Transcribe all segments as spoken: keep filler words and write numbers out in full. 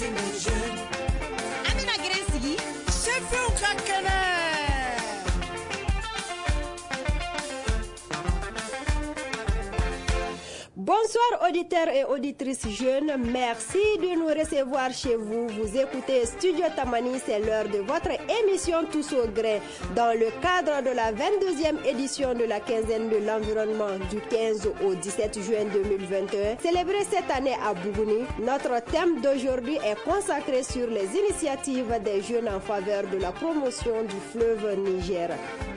Les jeunes. An bɛna grin sigi Sifinw ka kɛnɛ. Bonsoir auditeurs et auditrices jeunes, merci de nous recevoir chez vous. Vous écoutez Studio Tamani, c'est l'heure de votre émission Tous au gré. Dans le cadre de la vingt-deuxième édition de la quinzaine de l'environnement du quinze au dix-sept juin deux mille vingt et un, célébrée cette année à Bougouni, notre thème d'aujourd'hui est consacré sur les initiatives des jeunes en faveur de la promotion du fleuve Niger.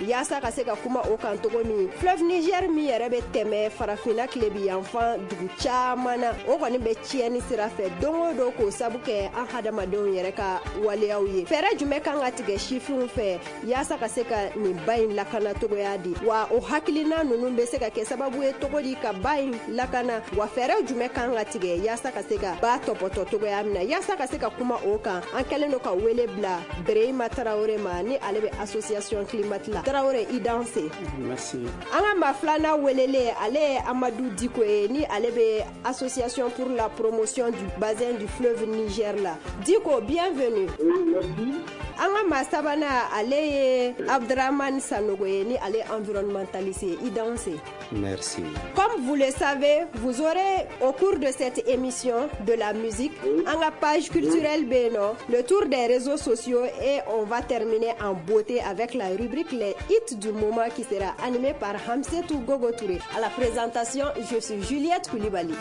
Yaasa ka se ka kuma o kan cogo min, fleuve Niger min yɛrɛ bɛ tɛmɛ farafinna tilebi yanfan dugu caman na, o kɔni bɛ tiɲɛni sira fɛ don o don k'o sabu kɛ an hadamadenw yɛrɛ ka waleyaw ye. Fɛɛrɛ jumɛn kan ka tigɛ sifinw fɛ yaasa ka se ka nin ba in lakana cogoya di, wa o hakilina ninnu bɛ se ka kɛ sababu ye cogo di ka ba in lakana, wa fɛɛrɛ jumɛn kan ka tigɛ yaasa ka se ka ba tɔpɔtɔ cogoya min na. Yaasa ka se ka kuma o kan, an kɛlen don ka wele bila Berehima Tarawele ma, ni ale bɛ association Climat la. Tarawele, i danse. Merci. An ka maa filanan welelen, ale ye Amadou Diko ye, ni ale bɛ association pour la promotion du bassin du fleuve Niger la. Diko, bienvenue. Oui, merci. An ka maa sabanan, ale ye Abdramane Sanogo ye, ni ale environnementaliste ye. I danse. Merci. Comme vous le savez, vous aurez au cours de cette émission de la musique, an ka page culturelle bɛ yen nɔ, le tour des réseaux sociaux, et on va terminer en beauté avec la rubrique Les hits du moment qui sera animée par Hamsetou Gogo Touré. À la présentation, je suis Juliette Coulibaly.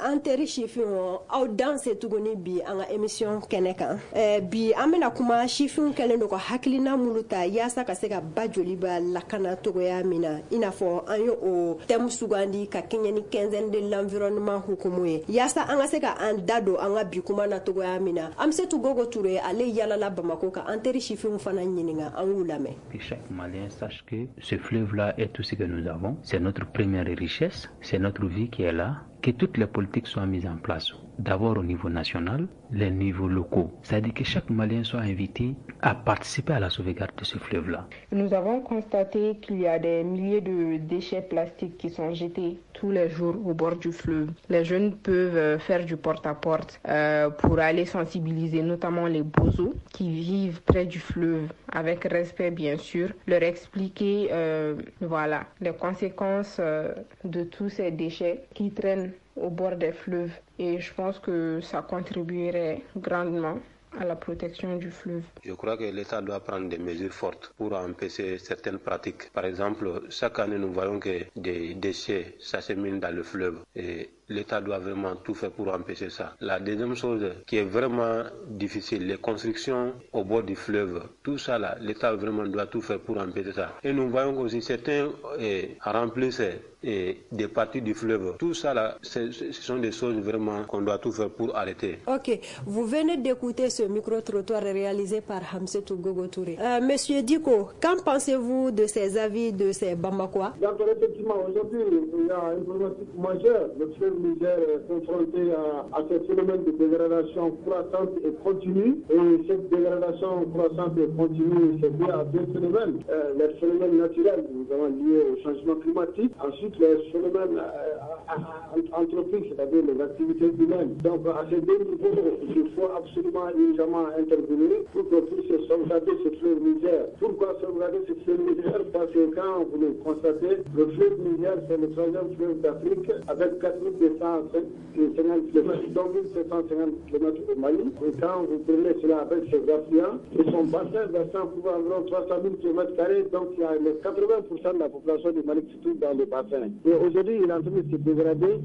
An teri sifinw, aw danse tuguni bi an ka émission kɛnɛ kan. Eh, bi an bɛna kuma sifinw kɛlen don ka hakilina minnu ta yaasa ka se ka ba joli ba lakana cogoya min na, i n'a fɔ an ye o thème sugandi ka kɛɲɛ ni quinzaine de l'environnement hukumu ye, yaasa an ka se ka an da don an ka bi kuma na cogoya min na. Amsetou Gogo Touré, ale yalala Bamako ka an teri sifinw fana ɲininka, an y'u lamɛn. Que chaque Malien sache que ce fleuve-là est tout ce que nous avons, c'est notre première richesse, c'est notre vie qui est là. Que toutes les politiques soient mises en place, d'abord au niveau national, les niveaux locaux. C'est-à-dire que chaque Malien soit invité à participer à la sauvegarde de ce fleuve-là. Nous avons constaté qu'il y a des milliers de déchets plastiques qui sont jetés tous les jours au bord du fleuve. Les jeunes peuvent faire du porte-à-porte euh, pour aller sensibiliser notamment les bozos qui vivent près du fleuve, avec respect bien sûr, leur expliquer euh, voilà, les conséquences euh, de tous ces déchets qui traînent au bord des fleuves. Et je pense que ça contribuerait grandement à la protection du fleuve. Je crois que l'État doit prendre des mesures fortes pour empêcher certaines pratiques. Par exemple, chaque année, nous voyons que des déchets s'acheminent dans le fleuve et l'État doit vraiment tout faire pour empêcher ça. La deuxième chose qui est vraiment difficile, les constructions au bord du fleuve, tout ça là, l'État vraiment doit tout faire pour empêcher ça. Et nous voyons aussi certains eh, remplissent eh, des parties du fleuve. Tout ça là, ce sont des choses vraiment qu'on doit tout faire pour arrêter. Ok, vous venez d'écouter ce micro-trottoir réalisé par Hamsetou Gogo Touré. Euh, Monsieur Diko, qu'en pensez-vous de ces avis de ces Bamakois? D'accord, effectivement, aujourd'hui, il y a une problématique majeure. Le fleuve Niger est confronté à, à ce phénomène de dégradation croissante et continue. Et cette dégradation croissante et continue, c'est lié à deux phénomènes. Euh, les phénomènes naturels, notamment liés au changement climatique. Ensuite, les phénomènes euh, anthropiques, c'est-à-dire les activités humaines. Donc, à ces deux niveaux, il faut absolument urgemment intervenir pour qu'on puisse sauvegarder ce fleuve Niger. Pourquoi sauvegarder ce fleuve Niger? Parce que quand vous le constatez, le fleuve Niger, c'est le troisième fleuve d'Afrique avec quatre mille deux cent cinquante kilomètres, dont mille sept cent cinquante kilomètres au Mali. Et quand vous prenez cela avec ses affluents, et son bassin versant couvre environ trois cent mille kilomètres carrés, donc il y a les quatre-vingts pour cent de la population du Mali qui se trouve dans le bassin. Et aujourd'hui, il est en train de se dégrader.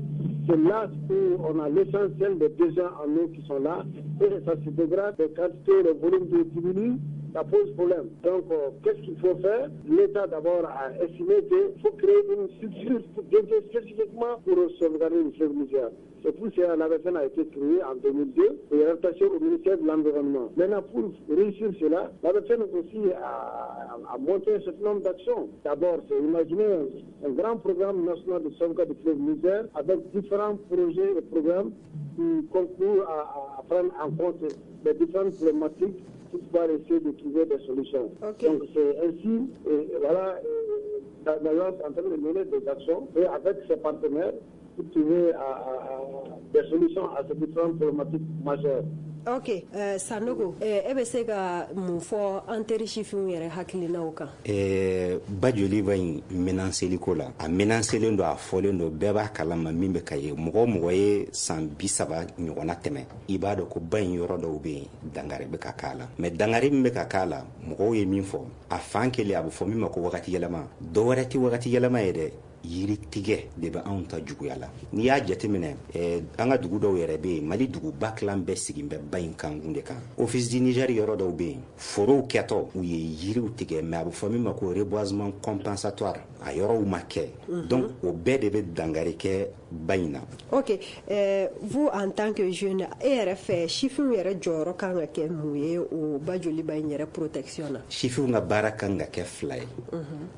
C'est là où on a l'essentiel des besoins en eau qui sont là. Et ça se dégrade, les quantités, le volume d'eau diminue. Ça pose problème. Donc, euh, qu'est-ce qu'il faut faire? L'État, d'abord, a estimé qu'il faut créer une structure dédiée spécifiquement pour sauvegarder le fleuve Niger. C'est pour cela que l'A B F N a été créée en deux mille deux et rattachée au ministère de l'Environnement. Maintenant, pour réussir cela, l'A B F N aussi a, a monté un certain nombre d'actions. D'abord, c'est imaginer un, un grand programme national de sauvegarde du fleuve Niger avec différents projets et programmes qui concourent à, à prendre en compte les différentes problématiques pour pouvoir essayer de trouver des solutions. Okay. Donc c'est ainsi, et voilà, l'Alliance est en train de mener des actions et avec ses partenaires pour trouver à, à, des solutions à ces différentes problématiques majeures. Ok, euh, Sanogo, e bɛ se ka mun fɔ an teri sifinw yɛrɛ hakilinaw kan? Eh, Bajoliba in menaceli ko la, a menacelen don, a fɔlen don, bɛɛ b'a kalama min bɛ ka ye. Mɔgɔ o mɔgɔ ye san bi saba ɲɔgɔnna tɛmɛ, i b'a dɔn ko ba in yɔrɔ dɔw bɛ yen, dangari bɛ ka k'a la. Mais dangari min bɛ ka k'a la, mɔgɔw ye min fɔ, a fan kelen a bɛ fɔ min ma ko wagati yɛlɛma. Dɔ wɛrɛ tɛ wagati yɛlɛma ye dɛ, yiri tigɛ de bɛ anw ta juguya la. N'i y'a jateminɛ, eh, an ka dugu dɔw yɛrɛ bɛ yen, Mali duguba kilan bɛɛ sigin bɛ ba in kankun de kan. Office du Niger yɔrɔ dɔw bɛ yen, forow kɛtɔ u ye yiriw tigɛ, mais a bɛ fɔ min ma ko reboisement compensatoire, a yɔrɔw ma kɛ. Donc o bɛɛ de bɛ dangari kɛ ba in na. Ok, euh, vous en tant que jeune, e yɛrɛ fɛ sifinw yɛrɛ jɔyɔrɔ kan ka kɛ mun ye o Bajoliba in yɛrɛ protection na? Sifinw ka baara kan ka kɛ fila ye.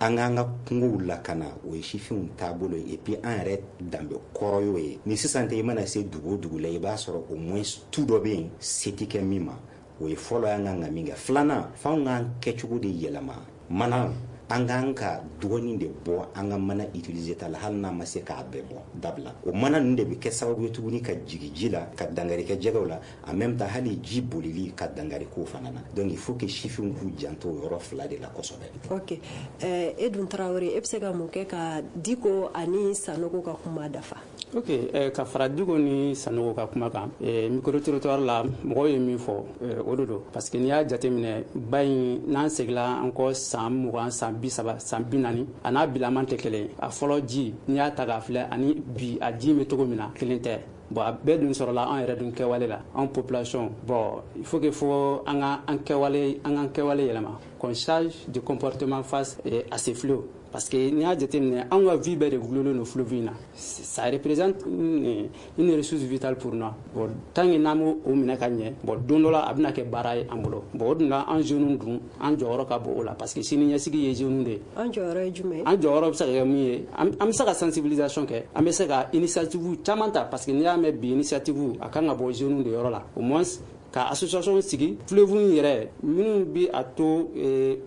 An k'an ka kungow lakana, o ye sifinw taabolo ye, et puis an yɛrɛ danbe kɔrɔ y'o ye. Ni sisan tɛ, i mana se dugu o dugu la, i b'a sɔrɔ au moins tu dɔ bɛ yen se tɛ kɛ min ma. O ye fɔlɔ y'an kan ka min kɛ. Filanan, f'anw k'an kɛcogo de yɛlɛma. Mana, an k'an ka dɔgɔnin de bɔ an ka mana utiliser ta la, hali n'a ma se k'a bɛɛ bɔ dabila. O mana ninnu de bɛ kɛ sababu ye tuguni ka jigin ji la, ka dangari kɛ jɛgɛw la, en même temps hali ji bolili ka dangari k'o fana na. Donc il faut que sifinw k'u janto o yɔrɔ fila de la kosɛbɛ. Ok, euh, Edun Traoré, e bɛ se ka mun kɛ ka Diko ani Sanogo ka kuma dafa? Ok, eh, ka fara Diko ni Sanogo ka kuma kan, eh, micro trottoir la, mɔgɔw ye min fɔ, eh, o de don. Parce que n'i y'a jateminɛ, ba in, n'an seginna an kɔ san mugan, san bi saba, san bi naani, a n'a bilaman tɛ kelen ye. A fɔlɔ ji, n'i y'a ta k'a filɛ, ani bi a ji bɛ cogo min na, kelen tɛ. Bon, a bɛɛ dun sɔrɔla an yɛrɛ dun kɛwale la, an population. Bon, il faut que fo an ka an kɛwale, an k'an kɛwale yɛlɛma, qu'on change de comportement face eh, à ces fléaux. Parce que n'i y'a jateminɛ, anw ka vie bɛɛ de gulonlen don fleuve in na. Ça représente une, une ressource vitale pour nous. Bon, tant que n'an m'o minɛ ka ɲɛ, bon, don dɔ la a bɛna kɛ baara ye an bolo. Bon, o dun la, an jeunes dun, an jɔyɔrɔ ka bon o la, parce que sini ɲɛsigi ye jeunes de ye. An jɔyɔrɔ ye jumɛn ye? An jɔyɔrɔ bɛ se ka kɛ mun ye? An bɛ se ka sensibilisation kɛ, an bɛ se ka initiative caman ta, parce que n'i y'a mɛn bi initiative, a kan ka bɔ jeunes de yɔrɔ la. Au moins ka association sigi fleuve in yɛrɛ minnu bi a to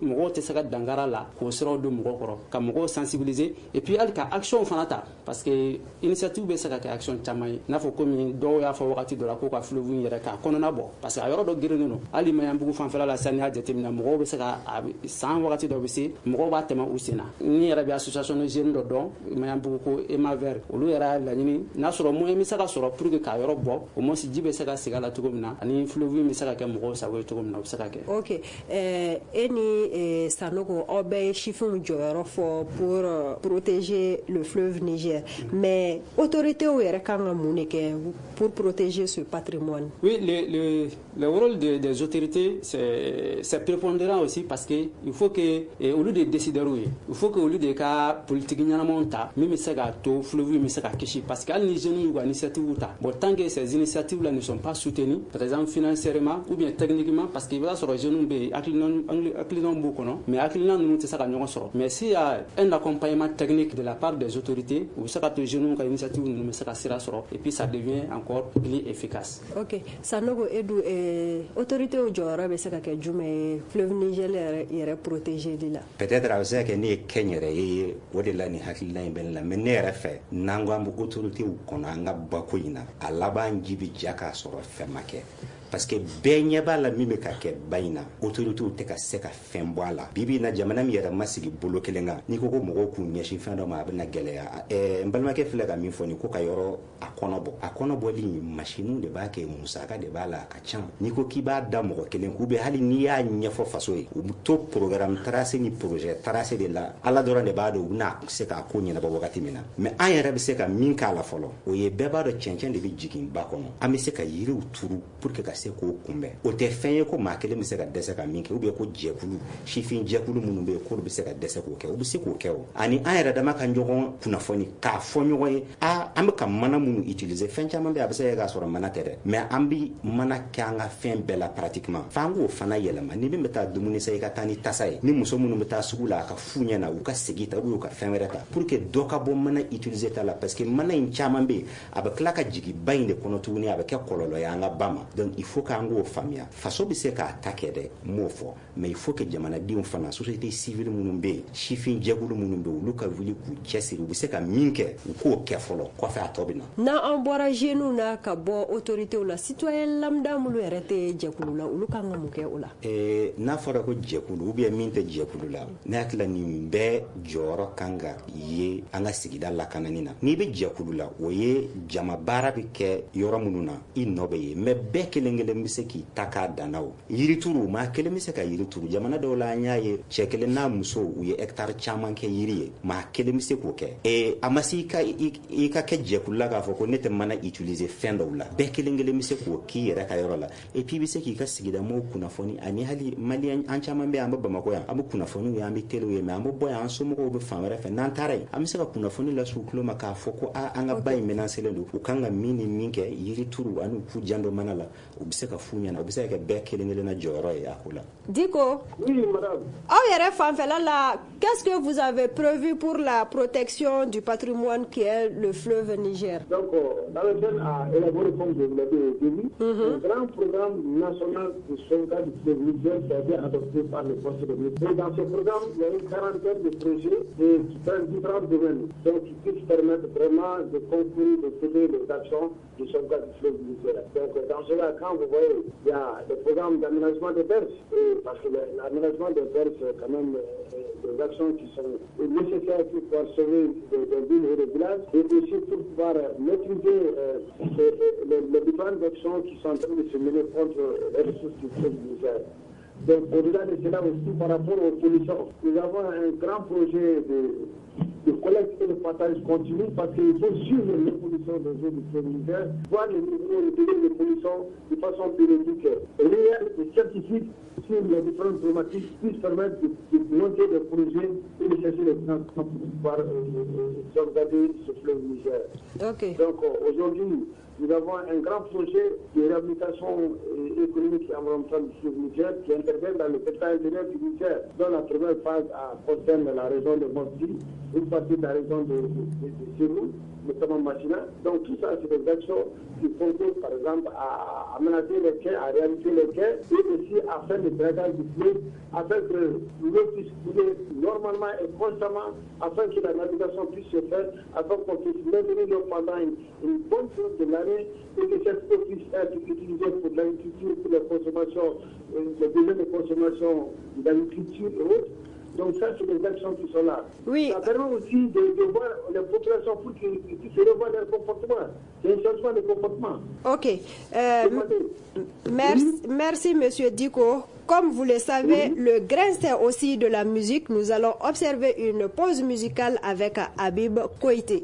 mɔgɔw tɛ se ka dankara la, k'o siraw don mɔgɔw kɔrɔ, ka mɔgɔw sensibiliser, et puis hali ka action fana ta, parce que initiative bɛ se ka kɛ action caman ye. N'a fɔ komi dɔw y'a fɔ wagati dɔ la k'u ka fleuve in yɛrɛ k'a kɔnɔna bɔ, parce que a yɔrɔ dɔ gerennen don. Hali Maɲanbugu fanfɛla la sisan, n'i y'a jateminɛ, mɔgɔw bɛ se ka san wagati dɔ bɛ se, mɔgɔw b'a tɛmɛ u sen na. Ni yɛrɛ bɛ association de jeunes dɔ dɔn Maɲanbugu ko Ema Vert, olu yɛrɛ y'a laɲini n'a sɔrɔ moyen bɛ se ka sɔrɔ pour que k'a yɔrɔ bɔ, au moins ji bɛ se ka segin a la cogo min na, ani fleuve bɛ se ka kɛ mɔgɔw sago ye cogo min na, o bɛ se ka kɛ. Ok, eh, e ni eh, Sanogo, aw bɛɛ ye sifinw jɔyɔrɔ fɔ pour euh, protéger le fleuve Niger. Mm -hmm. Mais autorités yɛrɛ kan ka mun de kɛ pour protéger ce patrimoine? Oui, le, le, le rôle de, des autorités, c'est, c'est prépondérant aussi, parce que il faut que eh, olu de décideurs ye, il faut que olu de ka politique ɲɛnamaw ta min bɛ se k'a to fleuve bɛ se ka kisi. Parce que hali ni jeunes y'u ka initiative ta, bon, tant que ces initiatives là ne sont pas soutenues, par exemple financièrement ou bien techniquement, parce que i b'a sɔrɔ jeunes bɛ yen, hakilinaw b'u kɔnɔ, mais hakilina ninnu tɛ se ka ɲɔgɔn sɔrɔ. Mais s'il y a un accompagnement technique de la part des autorités, u bɛ se ka to jeunes ka initiative ninnu bɛ se ka sira sɔrɔ, et puis ça devient encore plus efficace. Ok, Sanogo, Edu, eh, autorités jɔyɔrɔ bɛ se ka kɛ jumɛn ye fleuve Niger yɛrɛ yɛrɛ protéger li la? Peut-être a bɛ se ka kɛ ne ye kɛnyɛrɛye ye, o de la nin hakilina in bɛ ne la. Mais ne yɛrɛ fɛ, n'an ko an bɛ autorités kɔnɔ an ka bako in na, a laban ji bɛ ja k'a sɔrɔ fɛn ma kɛ. Parce que bɛɛ ɲɛ b'a la min bɛ ka kɛ ba in na, autorités tɛ ka se ka fɛn bɔ a la. Bi bi in na, jamana min yɛrɛ ma sigi bolo kelen kan, n'i ko ko mɔgɔw k'u ɲɛsin fɛn dɔ ma, a bɛna gɛlɛya. Ɛɛ n balimakɛ filɛ ka min fɔ nin ko ka yɔrɔ a kɔnɔ bɔ, a kɔnɔ bɔli masiniw de b'a kɛ, musaka de b'a la, a ka ca. N'i ko k'i b'a da mɔgɔ kelen k'u bɛ, hali n'i y'a ɲɛfɔ faso ye, u bɛ to programme tracé ni projet tracé de la. Ala dɔrɔn de b'a dɔn u bɛna se k'a ko ɲɛnabɔ wagati min na. Mais an yɛrɛ bɛ se ka min k'a la fɔlɔ, o ye bɛɛ b'a dɔn cɛncɛn de bɛ jigin ba kɔnɔ. An bɛ se ka yiriw turu pour que ka se k'o kunbɛn. O tɛ fɛn ye ko maa kelen bɛ se ka dɛsɛ ka min kɛ, ou bien ko jɛkulu, sifin jɛkulu minnu bɛ yen k'olu bɛ se ka dɛsɛ k'o kɛ, u bɛ se k'o kɛ. O ani an yɛrɛ dama ka ɲɔgɔn kunnafoni, k'a fɔ ɲɔgɔn ye, a an bɛ ka mana minnu utiliser, fɛn caman bɛ yen a bɛ se ka kɛ k'a sɔrɔ mana tɛ dɛ, mais an bɛ mana kɛ an ka fɛn bɛɛ la pratiquement. F'an k'o fana yɛlɛma. Ni min bɛ taa dumuni san, i ka taa ni tasa ye. Ni muso minnu bɛ taa sugu la, a ka fu ɲɛna, u ka segin ta, ou bien u ka fɛn wɛrɛ ta, pour que dɔ ka bɔ mana utiliser ta la. Parce que mana in caman bɛ yen, a bɛ tila ka jigin ba in de kɔnɔ tuguni, a bɛ kɛ kɔlɔlɔ ye an ka ba ma. Donc il faut k'an k'o faamuya. Faso bɛ se k'a ta kɛ dɛ, n m'o fɔ, mais il faut que jamanadenw fana, société civile minnu bɛ yen, sifin jɛkulu minnu bɛ yen, olu ka wuli k'u cɛsiri, u bɛ se ka min kɛ, u k'o kɛ fɔlɔ, kɔfɛ a tɔ bɛ na. N'an bɔra jeunes na ka bɔ autorités la, citoyen lambda minnu yɛrɛ tɛ jɛkulu la, olu kan ka mun kɛ o la? Ee, n'a fɔra ko jɛkulu ou bien min tɛ jɛkulu la, ne hakili la nin bɛɛ jɔyɔrɔ kan ka ye an ka sigida lakanani na. N'i bɛ jɛkulu la, o ye jama baara bɛ kɛ yɔrɔ minnu na, i nɔ bɛ ye, mais bɛɛ kelen kelen bɛ se k'i ta k'a danna. O yirituru, maa kelen bɛ se ka yiri turu. Jamana dɔw la, an y'a ye, cɛ kelen n'a muso, u ye hectare caman kɛ yiri ye. Maa kelen bɛ se k'o kɛ. Ee, a ma se i ka i ka kɛ jɛkulu la k'a fɔ ko ne tɛ mana utiliser fɛn dɔw la. Bɛɛ kelen kelen bɛ se k'o k'i yɛrɛ ka yɔrɔ la. Et puis i bɛ se k'i ka sigida mɔgɔw kunnafoni, ani hali maliyɛn an caman bɛ yan, an bɛ Bamakɔ yan, an bɛ kunnafoniw ye, an bɛ telew ye, mais an bɛ bɔ yan, an somɔgɔw bɛ fan wɛrɛ fɛ. N'an taara yen, an bɛ se ka kunnafoni lase u tulo ma k'a fɔ ko aa, an ka ba in menacelen don, u kan ka min ni min kɛ, yiri turu ani u k'u janto mana la. U bɛ se ka f'u ɲɛna, u bɛ se ka kɛ bɛɛ kelen kelenna jɔyɔrɔ ye a ko la. Diko. Oui, madame. Aw yɛrɛ fanfɛla la, qu'est-ce que vous avez prévu pour la protection du patrimoine qui est le fleuve Niger? Donc, l'A V F N a élaboré, comme je vous l'ai dit au début, mm -hmm. un grand programme national de sauvegarde du fleuve Niger qui a été adopté par le Conseil des ministres. Et dans ce programme, il y a une quarantaine de projets et qui prennent différents domaines, donc qui puissent permettre vraiment de concourir, de mener les actions de sauvegarde du fleuve Niger. Donc, dans cela, quand vous voyez, il y a des programmes d'aménagement des berges, et parce que l'aménagement des berges, c'est quand même des actions qui sont nécessaires pour pouvoir sauver des, des villes et des villages, et aussi pour pouvoir maîtriser euh, les, les différentes actions qui sont en train de se mener contre les ressources du fleuve Niger. Donc, au-delà de cela aussi, par rapport aux pollutions, nous avons un grand projet de, de collecte et de partage continu, parce qu'il faut suivre l'évolution des eaux du fleuve Niger, voir les niveaux, le degré de pollution de façon périodique, réelle et scientifique sur les différentes problématiques, puissent permettre de, de monter des projets et de chercher les financements pour pouvoir euh, euh, sauvegarder ce fleuve Niger. Okay. Donc euh, aujourd'hui, nous avons un grand projet de réhabilitation économique et environnementale du fleuve Niger qui intervient dans le delta intérieur du Niger, dont la première phase a, concerne la région de Mopti, une partie de la région de, de, de, de Ségou, notamment Macina. Donc tout ça, c'est des actions qui concourent par exemple à aménager les quais, à réhabiliter les quais et aussi à faire le dragage du fleuve afin que l'eau puisse couler normalement et constamment, afin que la navigation puisse se faire, afin qu'on puisse maintenir l'eau pendant une, une bonne période de l'année et que cette eau puisse être utilisée pour l'agriculture, pour la consommation, les besoins de consommation de l'agriculture et autres. Donc ça, c'est des actions qui sont là. Oui. Ça permet aussi de, de voir les populations pour qu'ils puissent revoir leur comportement. C'est un changement de comportement. Ok. Euh, merci, merci, Monsieur Diko. Comme vous le savez, oui, le grain, c'est aussi de la musique. Nous allons observer une pause musicale avec Habib Koité.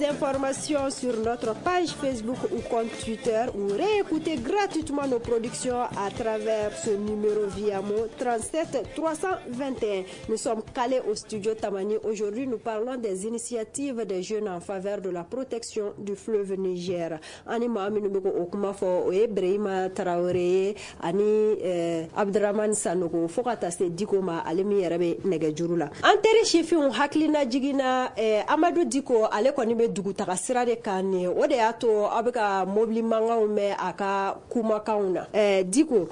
Informations sur notre page Facebook ou compte Twitter ou réécoutez gratuitement nos productions à travers ce numéro Viamo trente-sept trois cent vingt et un. Nous sommes calés au studio Tamani. Aujourd'hui, nous parlons des initiatives des jeunes en faveur de la protection du fleuve Niger. Ani maa minnu bɛ k'o kuma fɔ, o ye Brahima Traoré ani Abdramane Sanogo, fo ka taa se Diko ma, ale min yɛrɛ bɛ nɛgɛjuru la. An teri sifinw hakilina jiginna Amadu Diko, ale kɔni bɛ dugutaga sira de kan nin, o de y'a to aw bɛ ka mobili mankanw mɛn a ka kumakanw na. Eh, Diko,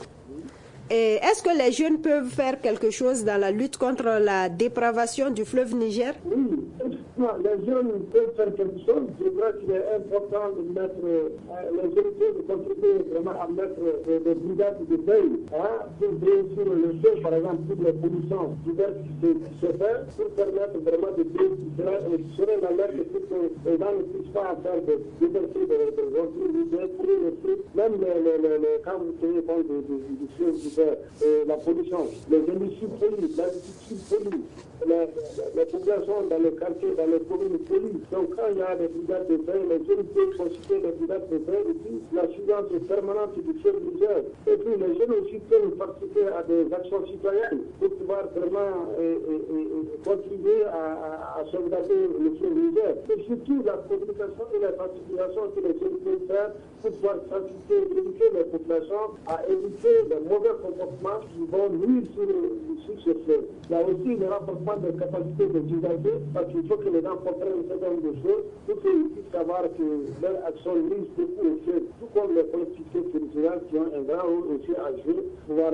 est-ce que les jeunes peuvent faire quelque chose dans la lutte contre la dépravation du fleuve Niger? Oui, Non, les jeunes peuvent faire quelque chose. Je crois qu'il est important de mettre, euh, les jeunes peuvent contribuer vraiment à mettre euh, des brigades de veille, hein, pour veiller sur le feu, par exemple, pour les pollutions diverses qui se, qui se font, pour permettre vraiment de veiller, qui serait l'alerte pour que les gens ne puissent pas faire de déverser des ordures, de pourrir le feu, même les, les, les, les, quand vous tenez compte du feu, de la pollution, les industries polluent, l'agriculture pollue, les, les populations dans les quartiers, dans les communes polluent. Donc quand il y a des brigades de veille, les jeunes peuvent consulter les brigades de veille et puis la surveillance permanente du feu Niger. Et puis les jeunes aussi peuvent participer à des actions citoyennes pour pouvoir vraiment et, et, et, contribuer à, à, à sauvegarder le feu Niger. Et surtout la communication et la sensibilisation que les jeunes peuvent faire pour pouvoir sensibiliser, éduquer les populations à éviter les mauvais comportements qui vont nuire sur, sur ce fleuve. Il y a aussi le renforcement des capacités des usagers, parce qu'il faut que les gens comprennent un certain nombre de choses pour qu'ils puissent savoir que leur action nuit beaucoup au fleuve, tout comme les collectivités territoriales qui ont un grand rôle aussi à jouer pour pouvoir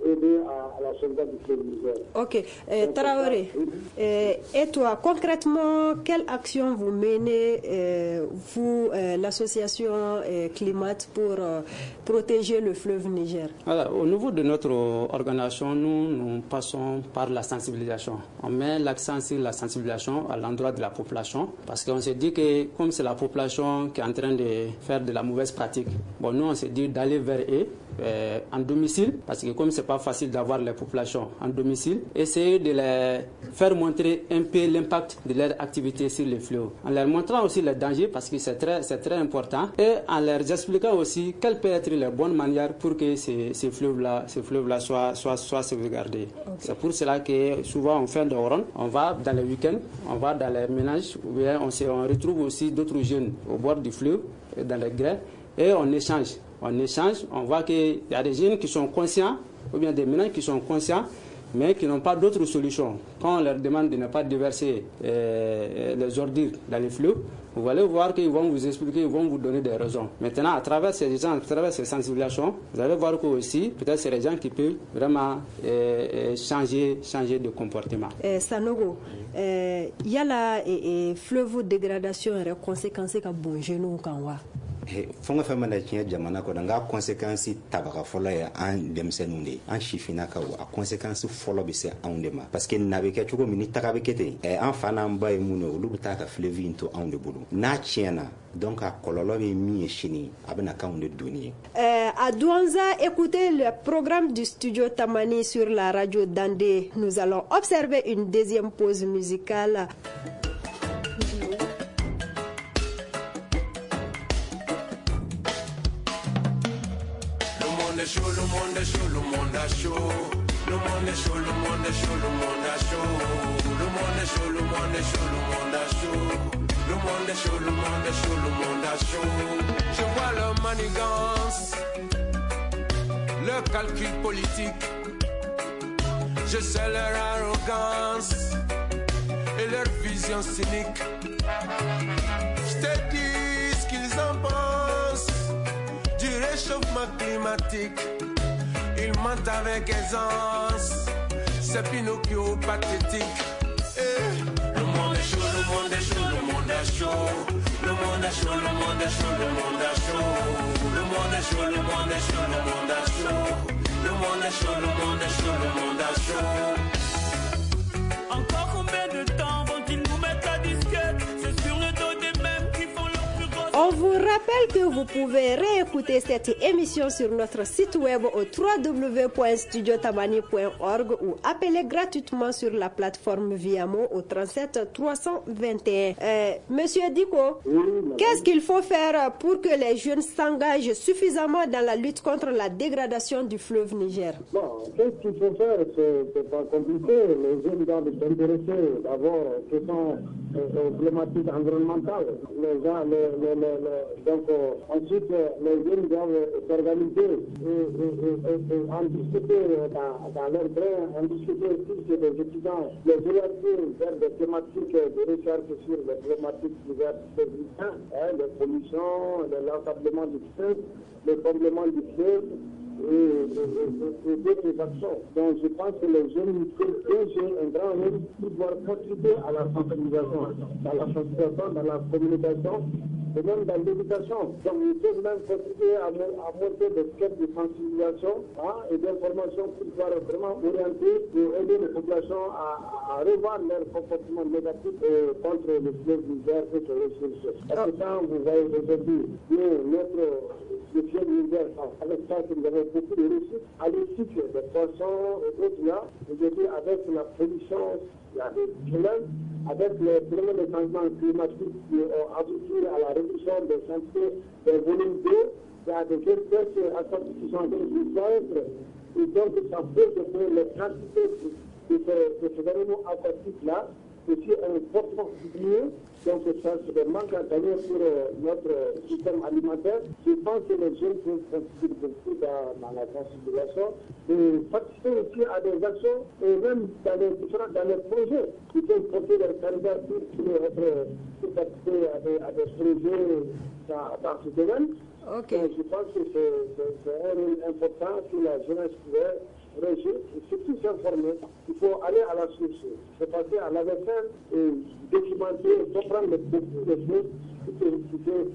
aider à, à la sauvegarde du fleuve Niger. Ok. Euh, Traoré, euh, et toi, concrètement, quelle action vous menez, euh, vous, euh, l'association euh, Climat, pour euh, protéger le fleuve Niger? Alors, au niveau de notre organisation, nous, nous passons par la sensibilisation. On met l'accent sur la sensibilisation à l'endroit de la population, parce qu'on s'est dit que comme c'est la population qui est en train de faire de la mauvaise pratique, bon, nous on s'est dit d'aller vers eux euh, en domicile, parce que comme c'est pas facile d'avoir les populations en domicile, essayer de les faire montrer un peu l'impact de leur activité sur les fleuves, en leur montrant aussi les dangers, parce que c'est très, c'est très important, et en leur expliquant aussi quelle peut être la bonne manière pour que ces, ces fleuves-là, ces fleuves-là soient, soient, soient sauvegardés. Okay. C'est pour cela que souvent on fait des rondes, on va dans les week-ends, on va dans les ménages, ou bien on, se, on retrouve aussi d'autres jeunes au bord du fleuve, dans les grès, et on échange. On échange, on voit qu'il y a des jeunes qui sont conscients, ou bien des ménages qui sont conscients, mais qui n'ont pas d'autres solutions. Quand on leur demande de ne pas déverser euh, les ordures dans les fleuves, vous allez voir qu'ils vont vous expliquer, ils vont vous donner des raisons. Maintenant, à travers ces gens, à travers ces sensibilisations, vous allez voir que aussi, peut-être c'est les gens qui peuvent vraiment euh, changer, changer de comportement. Eh, Sanogo, il y a la fleuve dégradation et conséquences ka bon genou kan wa. Fɛn o fɛn mana tiɲɛ jamana kɔnɔ, n ka conséquence tabaga fɔlɔ ye an denmisɛnninw de ye, an sifinnakaw. A conséquence fɔlɔ bɛ se anw de ma, parce que na bɛ kɛ cogo min ni taga bɛ kɛ ten, an fa n'an ba ye mun ye, olu bɛ taa ka fleuve in to anw de bolo. N'a tiɲɛna, donc a kɔlɔlɔ bɛ min ye sini, a bɛna k'anw de doni ye. À Douentza, écoutez le programme du studio Tamani sur la radio Dandé. Nous allons observer une deuxième pause musicale. Le monde est chaud, le monde est chaud, le monde est chaud, le monde est chaud, le monde est chaud, le monde est chaud, le monde est chaud, le monde est chaud, le monde est chaud, le monde est chaud, le monde est chaud. Je vois leur manigance, leur calcul politique, je sais leur arrogance et leur vision cynique. Je te dis ce qu'ils en pensent du réchauffement climatique. Ils mentent avec aisance, c'est Pinocchio pathétique. Eh. Le monde est chaud, le monde est chaud, le monde est chaud. Le monde est chaud, le monde est chaud, le monde est chaud. Le monde est chaud, le monde est chaud, le monde est chaud. Le monde est chaud, le monde est chaud, le monde est chaud. Encore combien de temps vont-ils nous mettre la disquette? C'est sur le dos des mêmes qui font leur plus grosse. On vous rappelle que vous pouvez réécouter cette émission sur notre site web au w w w point studio tamani point org ou appeler gratuitement sur la plateforme Viamo au trente-sept trois cent vingt et un. Euh, Monsieur Dicko, oui, qu'est-ce qu'il faut faire pour que les jeunes s'engagent suffisamment dans la lutte contre la dégradation du fleuve Niger? Bon, qu'est-ce qu'il faut faire? C'est pas compliqué. Les jeunes doivent s'intéresser d'abord aux questions problématiques environnementales. Les gens, les, les, les, les, donc, euh, ensuite, les jeunes doivent s'organiser et, et, et, et en discuter dans, dans leur train, en discuter aussi chez les étudiants, les orienter vers des thématiques de recherche sur les problématiques diverses, hein, les pollutions, l'ensablement du fleuve, le comblement du fleuve. et, et, et, et d'autres actions. Donc je pense que les jeunes peuvent jouer un grand rôle pour pouvoir contribuer à la sensibilisation, dans la sensibilisation, dans la communication et même dans l'éducation. Donc ils peuvent même contribuer à, à monter des quêtes de sensibilisation, hein, et d'information pour pouvoir vraiment orienter et aider les populations à, à revoir leur comportement négatif euh, contre le fleuve Niger et ses ressources. Parce que quand vous voyez aujourd'hui, nous, notre le fleuve Niger, avec ça que nous avons beaucoup de ressources halieutiques, des poissons et autres là, aujourd'hui avec la pollution, il y a des problèmes, avec les problèmes de changement climatique qui ont abouti à la réduction des quantités des volumes d'eau, il y a des espèces aquatiques qui sont en train de disparaître. Et donc ça pose que les quantités de ces, de ces animaux aquatiques-là aussi ont fortement diminué. Donc ça, c'est des manques à gagner pour euh, notre système alimentaire. Je pense que les jeunes peuvent contribuer beaucoup dans, dans la sensibilisation et participer aussi à des actions et même dans les différents dans les projets. Ils peuvent porter leur candidature pour, être, pour participer à des, à des projets dans, dans ce domaine. Okay. Donc, je pense que c'est, c'est, c'est un rôle important que la jeunesse pourrait réagir et surtout s'informer. Il faut aller à la source, se passer à la vaisselle et documenter, comprendre beaucoup de choses pour que vous puissiez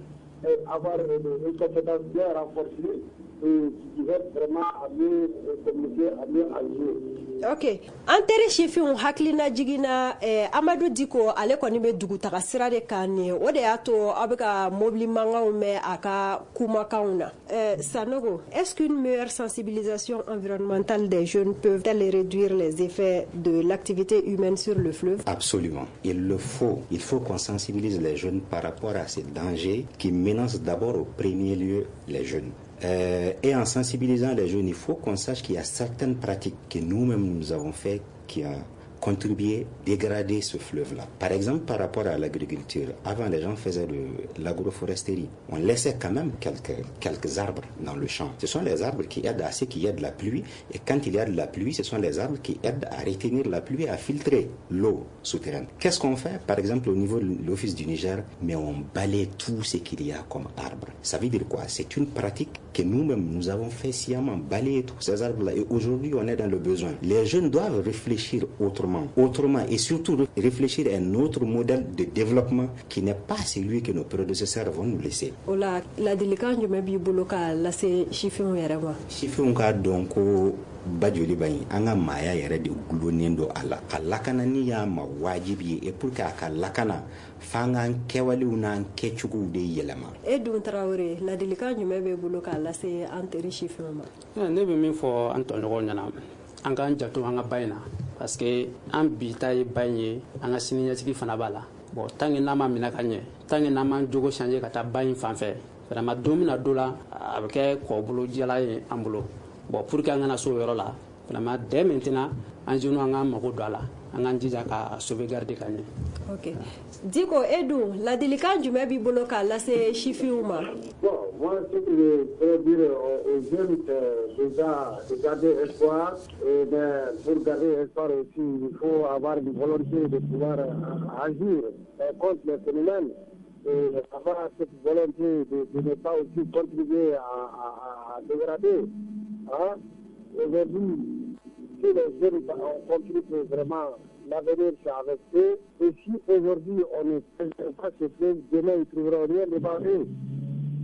avoir une, une compétence bien renforcée et qui va vraiment à mieux communiquer, à mieux agir. Ok. An teri sifinw hakilina jiginna eh, Amadu Diko ale kɔni bɛ dugutaga sira de kan nin ye, o de y'a to aw bɛ ka mobili mankanw mɛn a ka kumakanw na. Eh, Sanogo, est-ce qu'une meilleure sensibilisation environnementale des jeunes peut-elle réduire les effets de l'activité humaine sur le fleuve? Absolument. Il le faut. Il faut qu'on sensibilise les jeunes par rapport à ces dangers qui menacent d'abord au premier lieu les jeunes. Euh, et en sensibilisant les jeunes, il faut qu'on sache qu'il y a certaines pratiques que nous-mêmes nous avons fait qui ont contribué à dégrader ce fleuve-là. Par exemple, par rapport à l'agriculture, avant les gens faisaient de l'agroforesterie. On laissait quand même quelques, quelques arbres dans le champ. Ce sont les arbres qui aident à ce qu'il y ait de la pluie. Et quand il y a de la pluie, ce sont les arbres qui aident à retenir la pluie, à filtrer l'eau souterraine. Qu'est-ce qu'on fait? Par exemple, au niveau de l'Office du Niger, mais on balaye tout ce qu'il y a comme arbre. Ça veut dire quoi? C'est une pratique que nous-mêmes, nous avons fait sciemment, balayer tous ces arbres-là. Et aujourd'hui, on est dans le besoin. Les jeunes doivent réfléchir autrement. Autrement et surtout réfléchir à un autre modèle de développement qui n'est pas celui que nos prédécesseurs vont nous laisser. O la ladilikan jumɛn b'i bolo k'a lase sifinw yɛrɛ ma? Sifinw k'a dɔn ko Bajoliba in an ka maaya yɛrɛ de gulonnen don a la. A lakanani y'a ma wajibi ye et pour que a ka lakana f'an k'an kɛwalew n'an kɛcogow de yɛlɛma. E dun Tarawele, ladilikan jumɛn b'e bolo k'a lase an teri sifinw ma? Ne bɛ min fɔ an tɔɲɔgɔnw ɲɛna, an k'an janto an ka ba in na, parce que an bi ta ye ba in ye, an ka siniɲɛsigi fana b'a la. Bon, tant que n'an ma minɛ ka ɲɛ, tant que n'an m'an jogo changer ka taa ba in fan fɛ, vraiment don min na don la, a bɛ kɛ kɔbolo jala ye an bolo. Bon, pour que an kana s'o yɔrɔ la, vraiment dès maintenant, an jeunes an k'an mago don a la, an k'an jija ka sauvegarder ka ɲɛ. Ok. Diko, e dun ladilikan jumɛn b'i bolo k'a lase sifinw ma? Bon, moi, ce que je pourrais dire aux jeunes, c'est déjà de garder espoir. Et ben, pour garder espoir aussi, il faut avoir une volonté de pouvoir agir contre les phénomènes. Et avoir cette volonté de, de ne pas aussi contribuer à, à, à dégrader. Hein? Aujourd'hui, si les jeunes ont compris que vraiment l'avenir c'est avec eux, et si aujourd'hui on ne préserve pas ce fleuve, demain ils ne trouveront rien devant eux.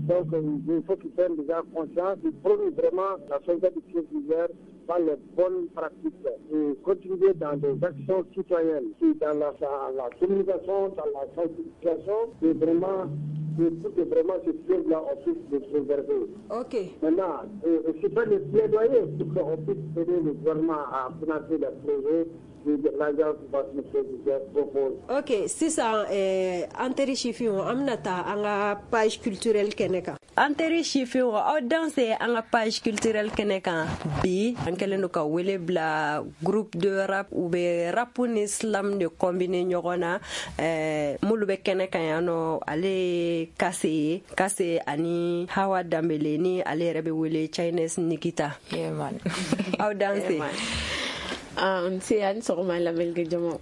Donc il faut qu'ils prennent déjà conscience, ils prônent vraiment la sauvegarde du fleuve Niger par les bonnes pratiques et contribuer dans des actions citoyennes, qui dans la, dans la communication, dans la sensibilisation, et vraiment pour que vraiment ce fleuve-là, on puisse le préserver. Ok. Maintenant, c'est pas le plaidoyer pour qu'on puisse aider le gouvernement à financer les projets que l'agence Niger propose. Ok, sisan eh, an teri sifinw, an bɛna taa an ka page culturelle kɛnɛ kan. An teri sifinw, aw danse an ka page culturelle kɛnɛ kan bi. An kɛlen don ka wele bila groupe de rap, u bɛ rap ni slam de combiner ɲɔgɔn na. eh, minnu bɛ kɛnɛ kan yan nɔ, ale ye Kase ye, Kase ani Hawa Danbele ni ale yɛrɛ bɛ wele Chinese Nikita. Yeah, man. Aw danse. Yeah, man. Ah, nse, a ni sɔgɔma lamɛnnikɛ jama.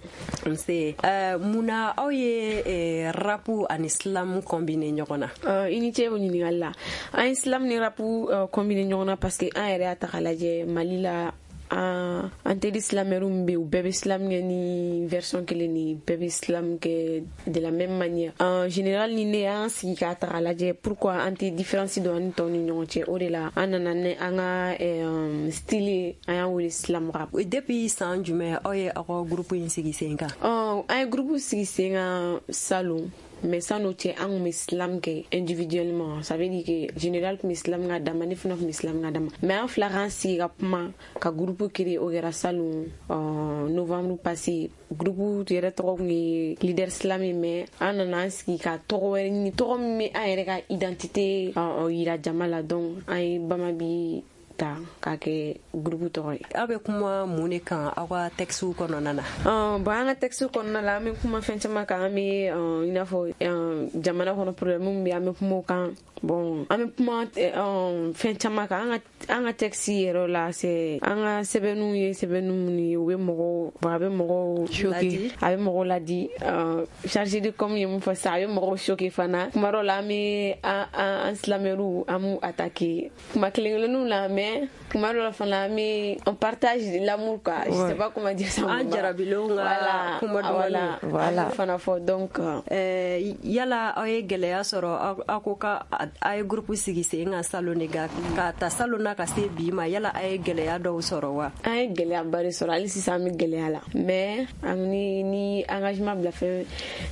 Nse, uh, munna aw ye eh, rap ani slam combiner ɲɔgɔn na? Uh, i ni ce o ɲininkali la. An ye slam ni rap uh, combiner ɲɔgɔn na parce que an yɛrɛ y'a ta k'a lajɛ Mali la, an an teri slamɛriw min bɛ yen, u bɛɛ bɛ slam kɛ ni version kelen ni bɛɛ bɛ slam kɛ de la même manière. En général, ni ne y'an sigi k'a ta k'a lajɛ, pourquoi an tɛ différence don an ni tɔw ni ɲɔgɔn cɛ? O de la an nana ni an ka euh, style ye, an y'an wele slam rap. Depuis san jumɛn aw ye aw ka groupe in sigi sen kan? Ɔ, an ye groupe sigi sen kan salon, mais san'o cɛ an kun bɛ slam kɛ individuellement. Ça veut dire que général kun bɛ slam k'a dama, ne fana kun bɛ slam k'a dama, mais an fila k'an sigi ka kuma ka groupe créer, o kɛra salon euh, novembre passé. Groupe yɛrɛ tɔgɔ kun ye Leader Slam ye, mais an nana an sigi ka tɔgɔ wɛrɛ ɲini, tɔgɔ min bɛ an yɛrɛ ka identité euh, yira jama la. Donc an ye Bamabi ta k'a kɛ groupe tɔgɔ ye. Aw bɛ kuma mun de kan aw ka texte kɔnɔna na? Uh, bon, an ka texte kɔnɔna la, an bɛ kuma fɛn caman kan. An bɛ uh, i n'a fɔ uh, jamana kɔnɔ problème min bɛ, an bɛ kuma o kan. Bon, an bɛ kuma uh, fɛn caman kan. An ka an ka texte yɛrɛ la, c'est an ka sɛbɛnniw ye sɛbɛnni minnu ye, u bɛ mɔgɔw, bon, a bɛ mɔgɔw choquer, a bɛ mɔgɔw ladi. uh, chargé de com ye mun fɔ sisan, a bɛ mɔgɔw choquer fana. Kuma dɔw la, an bɛ an an slamɛriw, an b'u attaquer kuma kelen kelenninw la, mais kuma dɔw la fana, an bɛ on partage l'amour quoi, je sais pas comment dire ça. An jarabilenw ka kuma dumanw. Voilà, fana fɔ donc. euh, yala aw ye gɛlɛya sɔrɔ, aw ko ka a ye groupe sigi sen kan salon de kan, ka ta salon na ka se bi ma, yala a ye gɛlɛya dɔw sɔrɔ wa? An ye gɛlɛyaba de sɔrɔ, hali sisan an bɛ gɛlɛya la, mais an ni ni engagement bila fɛn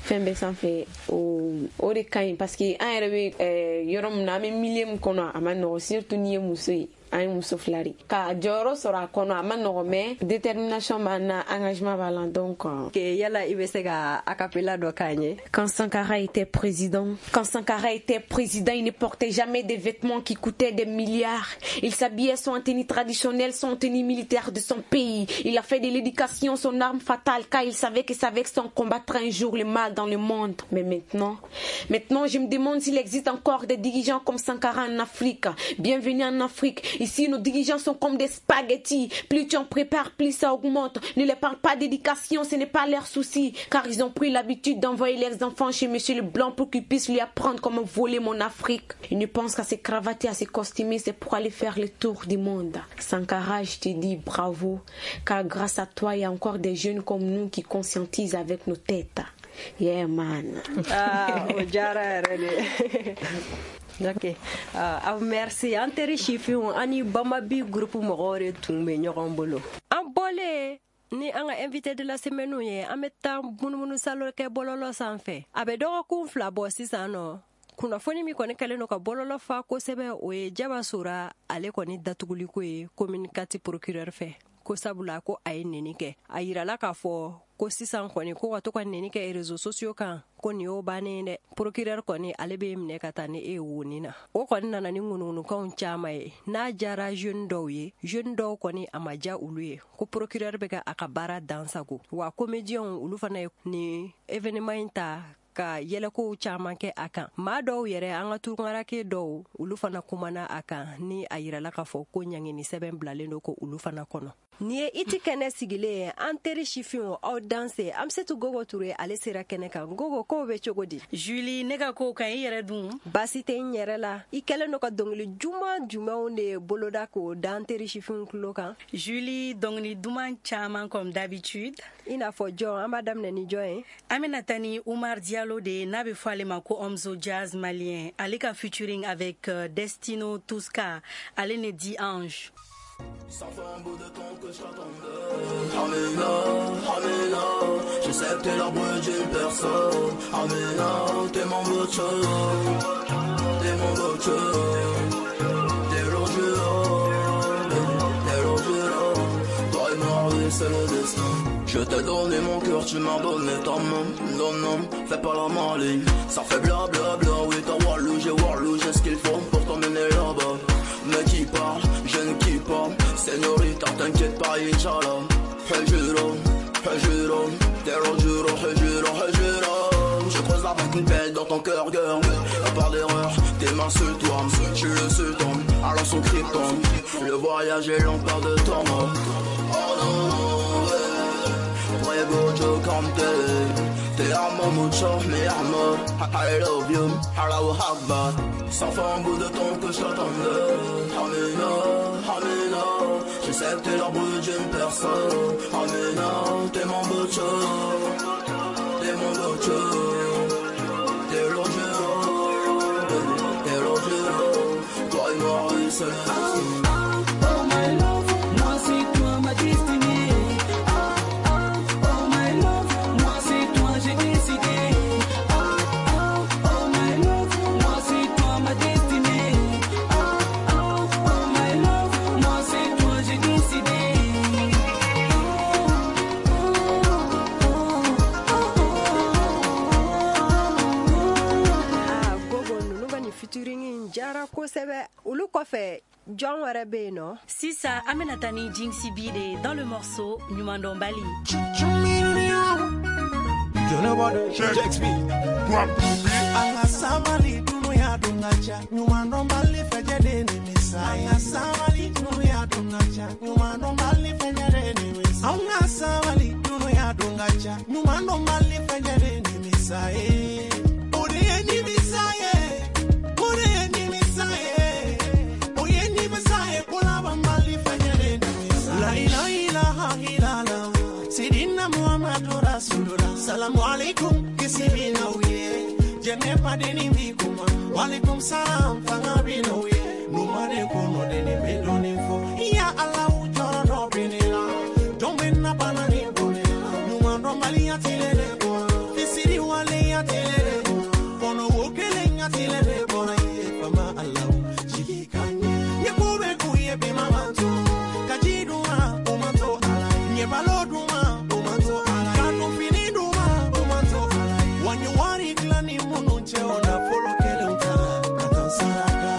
fɛn bɛɛ sanfɛ, o o de ka ɲi, parce que an yɛrɛ bɛ yɔrɔ min na, an bɛ milieu min kɔnɔ, a ma nɔgɔn, surtout n'i ye muso ye. An ye muso fila de ka jɔyɔrɔ sɔrɔ a kɔnɔ, a ma nɔgɔn, mais détermination b'an na, engagement b'a la donc. Yala i bɛ se ka acapella dɔ k'an ye? Quand Sankara était président, quand Sankara était président, il ne portait jamais des vêtements qui coûtaient des milliards. Il s'habillait soit en tenue traditionnelle, soit en tenue militaire de son pays. Il a fait de l'éducation son arme fatale, car il savait que c'est avec son combattra un jour le mal dans le monde. Mais maintenant, maintenant je me demande s'il existe encore des dirigeants comme Sankara en Afrique. Bienvenue en Afrique. Ici, nos dirigeants sont comme des spaghettis. Plus tu en prépares, plus ça augmente. Ne les parle pas d'éducation, ce n'est pas leur souci. Car ils ont pris l'habitude d'envoyer leurs enfants chez Monsieur le Blanc pour qu'ils puissent lui apprendre comment voler mon Afrique. Ils ne pensent qu'à se cravater, à se costumer, c'est pour aller faire le tour du monde. Sankara, je te dis bravo, car grâce à toi, il y a encore des jeunes comme nous qui conscientisent avec nos têtes. Yeah, man. Ah, o diyara yɛrɛ de. Ok, uh, merci. An teri sifinw, an ni Bamabi groupe mɔgɔw de tun bɛ ɲɔgɔn bolo. An bɔlen ni an ka invité de la semaine ye, an bɛ taa munumunu salo kɛ bɔlɔlɔ sanfɛ. A bɛ dɔgɔkun fila bɔ sisan nɔ, kunnafoni min kɔni kɛlen don ka bɔlɔlɔ fa kosɛbɛ, o ye Jaba Sora ale kɔni datuguliko ye commune quatre procureur fɛ, ko sabula ko a ye neni kɛ. A yirala k'a fɔ ko sisan kɔni ko ka to ka neni kɛ réseaux sociaux kan, ko nin y'o bannen dɛ. Procureur kɔni ale bɛ minɛ ka taa ni e ye woni na. O kɔni nana ni ŋunuŋunukanw caman ye, n'a jara jeune dɔw ye, jeune dɔw kɔni a ma ja olu ye, ko procureur bɛ ka a ka baara dan sago. Wa comédiens olu fana ye nin événement in ta ka yɛlɛkow caman kɛ a kan. Maa dɔw yɛrɛ, an ka tunkarake dɔw, olu fana kumana a kan, ni a yirala k'a fɔ ko ɲangini sɛbɛn bilalen don ko olu fana kɔnɔ. Nin ye iti kɛnɛ sigilen ye, an teri sifinw, aw danse. Amsetu Gogo Ture ale sera kɛnɛ kan. Gogo, kow bɛ cogo di? Julie, ne ka kow ka ɲi, i yɛrɛ dun? Baasi tɛ n yɛrɛ la. I kɛlen don ka dɔnkili juman jumɛnw de boloda k'o da an teri sifinw tulo kan? Julie, dɔnkili duman caman comme d'habitude. I n'a fɔ jɔn? An b'a daminɛ ni jɔn ye? An bɛna taa ni Umar Diallo de ye, n'a bɛ fɔ ale ma ko Omzo Jazz malien. Ale ka featuring avec euh, Destino Tuska, ale ne dit Ange. Ça fait un bout de temps que je t'attendais. Amina, Amina, je sais que t'es l'arbre d'une personne. Amina, t'es mon butcher, t'es mon butcher. T'es l'angelot, t'es l'angelot. Toi et moi, oui, c'est le destin. Je t'ai donné mon cœur, tu m'as donné ta main. Non, non, fais pas la maligne. Ça fait bla bla bla, oui, t'as Walou, j'ai Walou, j'ai ce qu'il faut pour t'emmener là-bas. Mais qui parle, je ne kiffe pas. Señorita, t'inquiète pas, Inch'Allah. Hejuro, hejuro, t'es juro, hejuro, hejuro. Je creuse avec une pelle dans ton cœur, girl. À part d'erreur, tes mains sur toi, je suis le sultan, alors son krypton. Le voyage est long, pas de temps. Oh non. حمتي T'es à mon mucho, mi amor. I love you, Allahu Akbar. Ça fait un bout de temps que je t'attendais. Amina, Amina, je sais que t'es l'arbre d'une personne. Amina, t'es mon butcher, t'es mon butcher. T'es l'angelo, t'es l'angelo. Toi et moi, c'est le destin. Oh my love, moi c'est toi ma destinée. Ah ah, oh my love, moi c'est toi j'ai décidé. Ah ah, oh my love, moi c'est toi ma destinée. Ah ah, oh my love, moi c'est toi j'ai décidé. Ah, Gogo ninnu ka nin featuring in diyara kosɛbɛ. Olu kɔfɛ jɔn wɛrɛ bɛ yen nɔ? Sisan an bɛna taa ni Jinxi B de ye dans le morceau Ɲumandɔnbali. An ka sabali dunuya don ka ca ɲumandɔnbali fɛjɛ de nimisa. An ka sabali dunuya don ka ca ɲumandɔnbali fɛjɛ de nimisa. An ka sabali dunuya don ka ca ɲumandɔnbali fɛjɛ de nimisa ye. O de ye nimisa ye, o de ye nimisa ye, o ye nimisa ye ko labanbali fɛjɛ de nimisa. La ilaha illallah, Sidina Muhammadu Rasulullah. Salamu alaikum, kisi bina uye. Jene padeni bikuma, walaikum salam, fanga bina uye. Numare kono deni bedoni fo. Ya Allah ujoro do binila, domena banani bonela. Numando mali ya tilele bona, fisiri wale ya tilele bona. Kono wokele ya tilele bona. Ye fama Allah jigi kanye. Nye kube kuye bima manto, kajiduma umanto ala. Nye baloduma umanto ala. Kanu finiduma umanto ala. Wanyo wari klani munu che ona folo kele utala. Katan saraka.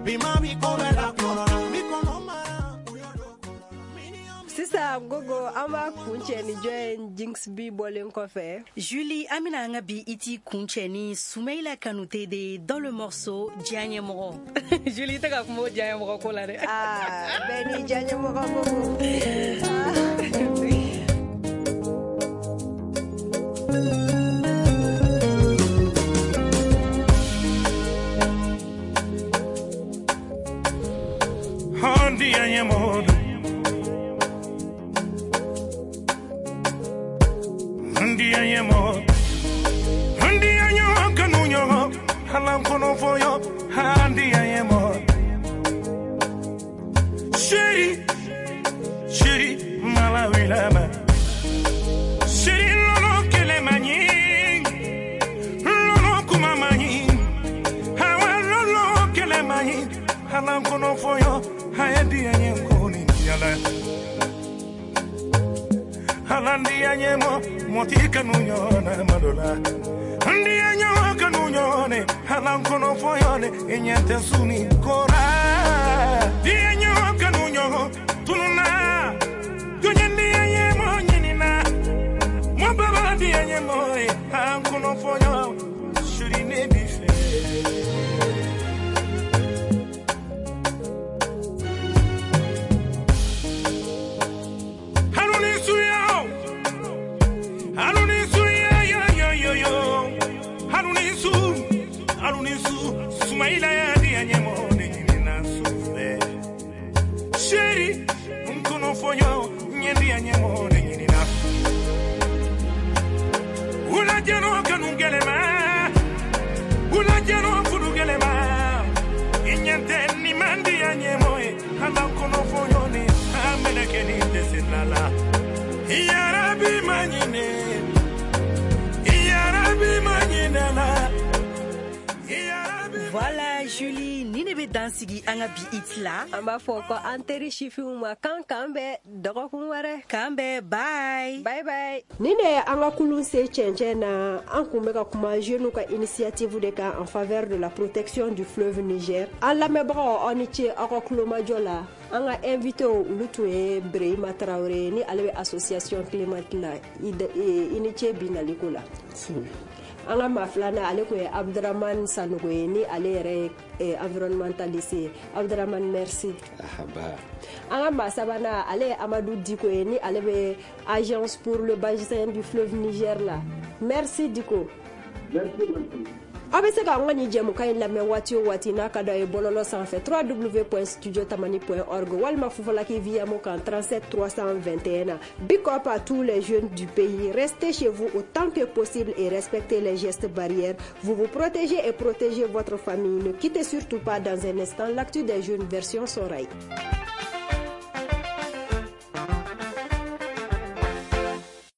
Bima bikome la korona. Mikono mara uyodo korona. Sisan Gogo an b'a kuncɛ ni jɔn ye Jinx B bɔlen kɔfɛ? Julie, an bɛna an ka bi iti kuncɛ ni Soumaïla Kanouté de ye dans le morceau Diyaɲɛmɔgɔ. Julie, i tɛ ka kuma o diyaɲɛmɔgɔ ko la dɛ. Ah, bɛɛ n'i diyaɲɛmɔgɔ Gogo. Handi anyemodo, handi anyemodo, handi anyo kanunyo, halam kono foyo, handi anyemodo. Sheri, sheri malawilama, sheri lolo kele mani, lolo kumamani, hawa lolo kele mani, halam kono foyo. Handi anyemo yala, handi anyemo moti kanunyo na madola, handi anyemo kanunyo ne halan kono foyo ne enyente suni kora, di anyemo kanunyo tununa, dunyendi anyemo nyinina, mo baba di anyemo e halan kono foyo shuri ne bife. Sumaila ya di anyemo ne nyina sufe. Sheri mkono fonyo nyendi anyemo ne nyina. Ula jeno kanungelema, ula jeno fudugelema. Inyente ni mandi anyemo e hala kono fonyo ne ameneke ni tesilala. Ya Rabbi manyine, Ya Rabbi manyine la. Voilà Julie, ni ne bɛ dan sigi an ka bi it la. An b'a fɔ ko an teri sifinw ma kan k'an bɛn dɔgɔkun wɛrɛ. K'an bɛn, bye. Bye bye. Nin de ye an ka kulun se cɛncɛn na. An kun bɛ ka kuma jeunes ka initiative de kan en faveur de la protection du fleuve Niger. An lamɛnbagaw aw ni ce aw ka kulomajɔ la. An ka invité olu tun ye Birehima Traoré ni ale bɛ association Climat la. I ni ce bi naliko la. An ka maa filanan, ale tun ye Abdramane Sanogo ye, ni ale yɛrɛ ye environnementaliste ye. Abdramane, merci. Ahaba. An ka maa sabanan, ale ye Amadou Diko ye, ni ale bɛ Agence pour le bassin du fleuve Niger la. Merci Diko. Merci, merci. Aw bɛ se k'an ka nin jɛmukan in lamɛn waati o waati n'a ka d'aw ye bɔlɔlɔ sanfɛ, w w w point studio tamani point org walima Fufalaki Viyamo kan trente-sept trois cent vingt et un na. Big up à tous les jeunes du pays. Restez chez vous autant que possible et respectez les gestes barrières. Vous vous protégez et protégez votre famille. Ne quittez surtout pas. Dans un instant, l'actu des jeunes version Sonrhaï.